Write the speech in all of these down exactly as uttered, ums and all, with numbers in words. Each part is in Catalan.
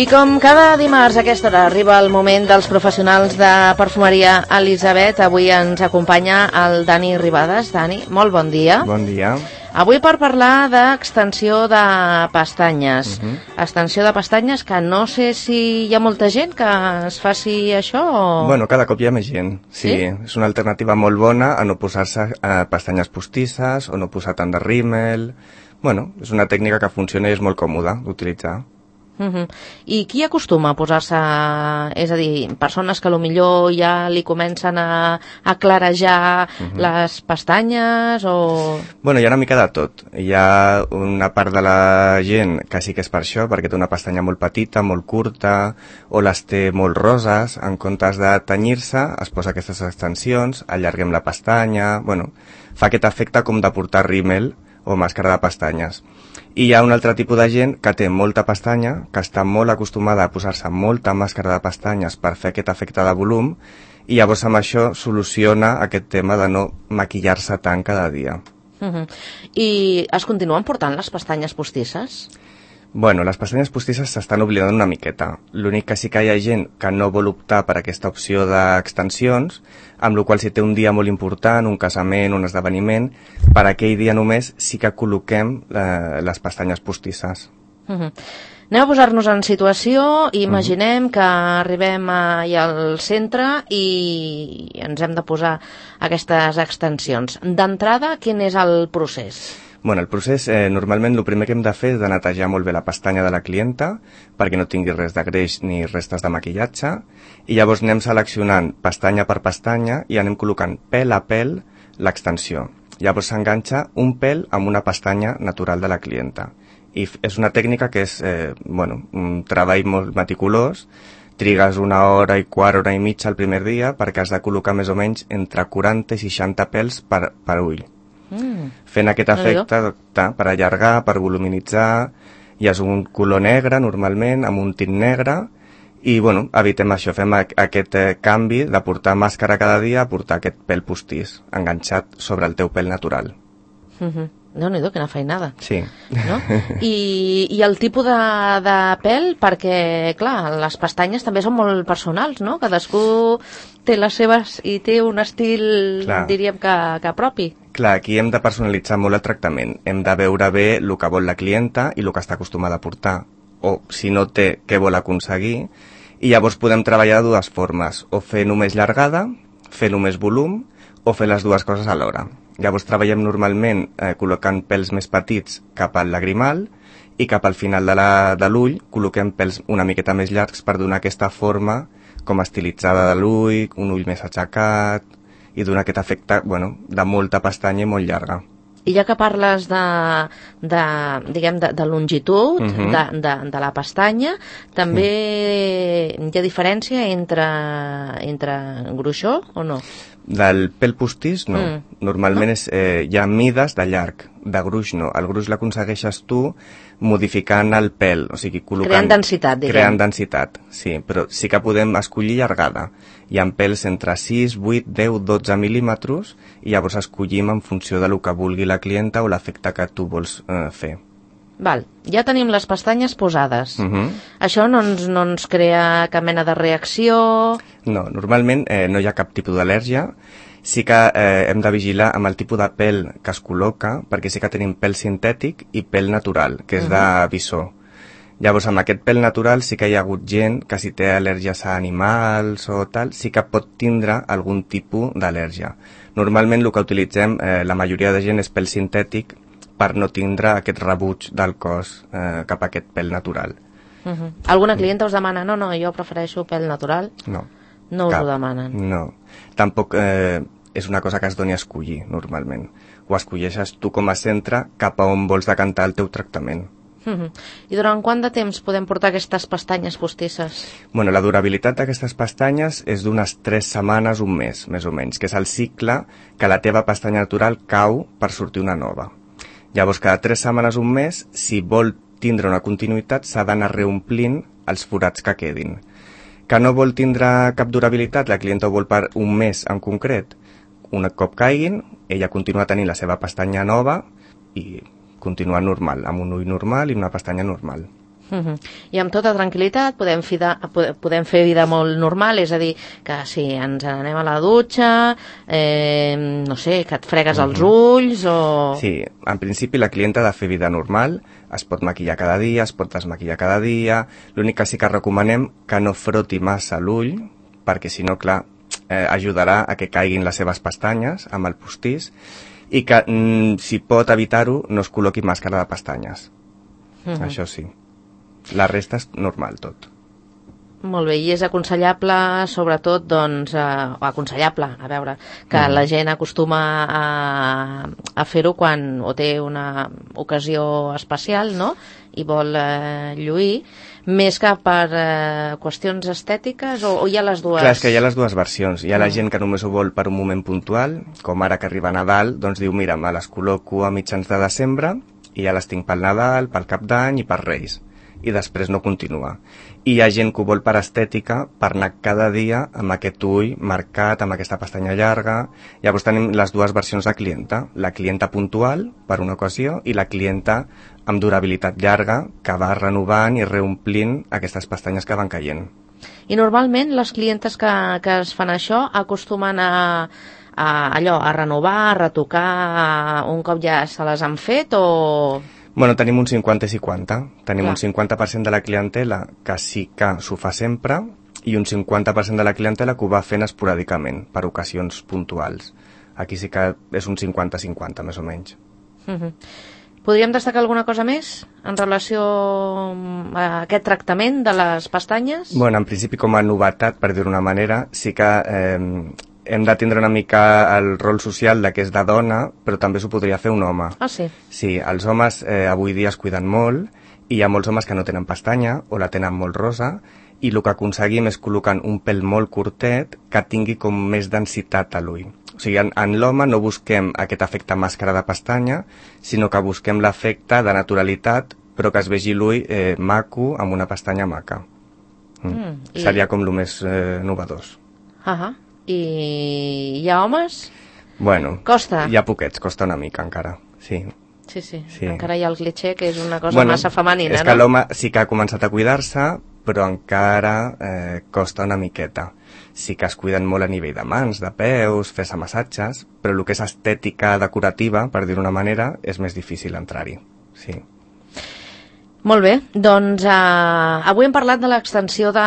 com cada dimarts a aquesta hora arriba el moment dels professionals de perfumeria Elisabet. Avui ens acompanya el Dani Ribades. Dani, molt bon dia. Bon dia. Avui per parlar d'extensió de pestanyes. Uh-huh. Extensió de pestanyes que no sé si hi ha molta gent que es faci això o... Bueno, cada cop hi ha més gent. Sí, sí? És una alternativa molt bona a no posar-se eh, pestanyes postisses o no posar tant de rímel. Bueno, és una tècnica que funciona i és molt còmoda d'utilitzar. Uh-huh. I qui acostuma a posar-se, és a dir, persones que potser ja li comencen a, a clarejar uh-huh. les pestanyes o... Bueno, hi ha una mica de tot. Hi ha una part de la gent que sí que és per això, perquè té una pestanya molt petita, molt curta, o les té molt roses, en comptes de tenyir-se, es posa aquestes extensions, allarguem la pestanya... Bueno, fa aquest efecte com de portar rímel o màscara de pestanyes. I hi ha un altre tipus de gent que té molta pestanya, que està molt acostumada a posar-se molta màscara de pestanyes per fer aquest efecte de volum, i llavors amb això soluciona aquest tema de no maquillar-se tant cada dia. Uh-huh. I es continuen portant les pestanyes postisses? Bueno, les pestanyes postisses s'estan oblidant una miqueta. L'únic que sí que hi ha gent que no vol optar per aquesta opció d'extensions, amb la qual si té un dia molt important, un casament, un esdeveniment, per aquell dia només sí que col·loquem eh, les pestanyes postisses. Uh-huh. Anem a posar-nos en situació i imaginem uh-huh. que arribem allà al centre i ens hem de posar aquestes extensions. D'entrada, quin és el procés? Bueno, el procés, eh, normalment el primer que hem de fer és de netejar molt bé la pestanya de la clienta perquè no tingui res de greix ni restes de maquillatge, i llavors anem seleccionant pestanya per pestanya i anem col·locant pèl a pèl l'extensió. Llavors s'enganxa un pèl amb una pestanya natural de la clienta. I és una tècnica que és eh, bueno, un treball molt meticulós. Trigues una hora i quart, hora i mitja el primer dia perquè has de col·locar més o menys entre quaranta i seixanta pèls per, per ull. Mm. Fent aquest efecte per allargar, per voluminitzar, i és un color negre normalment, amb un tint negre, i bueno, evitem això, fem aquest eh, canvi de portar màscara cada dia a portar aquest pèl postís enganxat sobre el teu pèl natural. Mm-hmm. Déu-n'hi-do, quina feinada. Sí. No? I, I el tipus de, de pèl, perquè, clar, les pestanyes també són molt personals, no? Cadascú té les seves i té un estil, clar, diríem que, que propi. Clar, aquí hem de personalitzar molt el tractament. Hem de veure bé el que vol la clienta i el que està acostumada a portar. O, si no té, què vol aconseguir. I llavors podem treballar de dues formes. O fer només llargada, fer només volum, o fer les dues coses alhora. Llavors treballem normalment eh, col·locant pèls més petits cap al lagrimal i cap al final de l'ull col·loquem pèls una miqueta més llargs per donar aquesta forma com estilitzada de l'ull, un ull més aixecat i donar aquest efecte, bueno, de molta pestanya i molt llarga. I ja que parles de, de, diguem, de, de longitud uh-huh. de, de, de la pestanya, també sí. Hi ha diferència entre, entre gruixó o no? Del pèl postís, no. Mm. Normalment no? És, eh, hi ha mides de llarg, de gruix no. El gruix l'aconsegueixes tu modificant el pèl, o sigui, col·locant... Creant densitat, diguem. Creant densitat, sí, però sí que podem escollir llargada. Hi ha pèls entre sis, vuit, deu, dotze mil·límetres i llavors escollim en funció de lo que vulgui la clienta o l'efecte que tu vols eh, fer. Val, ja tenim les pestanyes posades. Uh-huh. Això no ens, no ens crea cap mena de reacció? No, normalment eh, no hi ha cap tipus d'al·lèrgia. Sí que eh, hem de vigilar amb el tipus de pèl que es col·loca, perquè sí que tenim pèl sintètic i pèl natural, que és uh-huh. de visó. Llavors, amb aquest pèl natural sí que hi ha hagut gent que si té al·lèrgies a animals o tal, sí que pot tindre algun tipus d'al·lèrgia. Normalment el que utilitzem, eh, la majoria de gent, és pèl sintètic, per no tindre aquest rebuig del cos eh, cap a aquest pèl natural. Uh-huh. Alguna clienta us demana, no, no, jo prefereixo pèl natural? No. No us cap. ho demanen? No. Tampoc eh, és una cosa que es doni a escollir, normalment. Ho escolleixes tu com a centre cap a on vols decantar el teu tractament. Uh-huh. I durant quant de temps podem portar aquestes pestanyes postisses? Bueno, la durabilitat d'aquestes pestanyes és d'unes tres setmanes, un mes, més o menys, que és el cicle que la teva pestanya natural cau per sortir una nova. Llavors, cada tres setmanes, un mes, si vol tindre una continuïtat, s'ha d'anar reomplint els forats que quedin. Que no vol tindre cap durabilitat, la clienta ho vol per un mes en concret. Un cop caiguin, ella continua tenint la seva pestanya nova i continua normal, amb un ull normal i una pestanya normal. Uh-huh. I amb tota tranquil·litat podem, fida, podem fer vida molt normal, és a dir, que si ens anem a la dutxa, eh, no sé, que et fregues uh-huh. els ulls o... Sí, en principi la clienta ha de fer vida normal, es pot maquillar cada dia, es pot desmaquillar cada dia, l'únic que sí que recomanem que no froti massa l'ull, perquè si no, clar, eh, ajudarà a que caiguin les seves pestanyes amb el postís, i que, mm, si pot evitar-ho, no es col·loqui màscara de pestanyes. Uh-huh. Això sí. La resta és normal, tot. Molt bé, i és aconsellable, sobretot, doncs, eh, aconsellable, a veure, que mm. la gent acostuma a, a fer-ho quan o té una ocasió especial, no?, i vol eh, lluir, més que per eh, qüestions estètiques, o, o hi ha les dues? Clar, és que hi ha les dues versions. Hi ha mm. la gent que només ho vol per un moment puntual, com ara que arriba Nadal, doncs diu, mira, me les col·loco a mitjans de desembre, i ja les tinc pel Nadal, pel Cap d'Any i per Reis. I després no continua. I hi ha gent que ho vol per estètica, per anar cada dia amb aquest ull marcat, amb aquesta pestanya llarga. Llavors tenim les dues versions de clienta. La clienta puntual, per una ocasió, i la clienta amb durabilitat llarga, que va renovant i reomplint aquestes pestanyes que van caient. I normalment les clientes que, que es fan això acostumen a, a, allò, a renovar, a retocar un cop ja se les han fet o... Bueno, tenim un cinquanta i cinquanta. Tenim Clar. un cinquanta per cent de la clientela que sí que s'ho fa sempre i un cinquanta per cent de la clientela que ho va fent esporàdicament, per ocasions puntuals. Aquí sí que és un cinquanta cinquanta, més o menys. Uh-huh. Podríem destacar alguna cosa més en relació a aquest tractament de les pestanyes? Bueno, en principi, com a novetat, per dir-ho d'una manera, sí que eh, hem de tindre una mica el rol social de que és de dona, però també s'ho podria fer un home. Ah, sí? Sí, els homes eh, avui dia es cuiden molt, i hi ha molts homes que no tenen pestanya, o la tenen molt rosa, i el que aconseguim és col·locant un pèl molt curtet que tingui com més densitat a l'ull. O sigui, en, en l'home no busquem aquest efecte màscara de pestanya, sinó que busquem l'efecte de naturalitat, però que es vegi l'ull eh, maco, amb una pestanya maca. Mm. Mm, i... Seria com el més eh, novedós. Ahà. I hi ha homes? Bueno, costa? Hi ha poquets, costa una mica encara, sí. Sí, sí, sí. Encara hi ha el cliché que és una cosa bueno, massa femenina, és no? que l'home sí que ha començat a cuidar-se, però encara eh, costa una miqueta. Sí que es cuiden molt a nivell de mans, de peus, fer-se massatges, però el que és estètica decorativa, per dir-ho d'una manera, és més difícil entrar-hi, sí. Molt bé, doncs eh, avui hem parlat de l'extensió de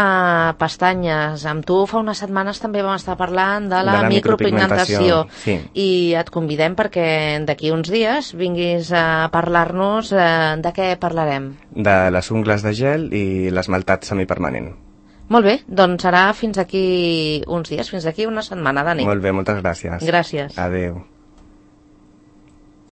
pestanyes. Amb tu fa unes setmanes també vam estar parlant de la, de la micropigmentació, micropigmentació sí. I et convidem perquè d'aquí uns dies vinguis a parlar-nos eh, de què parlarem. De les ungles de gel i l'esmaltat semipermanent. Molt bé, doncs serà fins aquí uns dies, fins aquí una setmana, Dani. Molt bé, moltes gràcies. Gràcies. Adéu.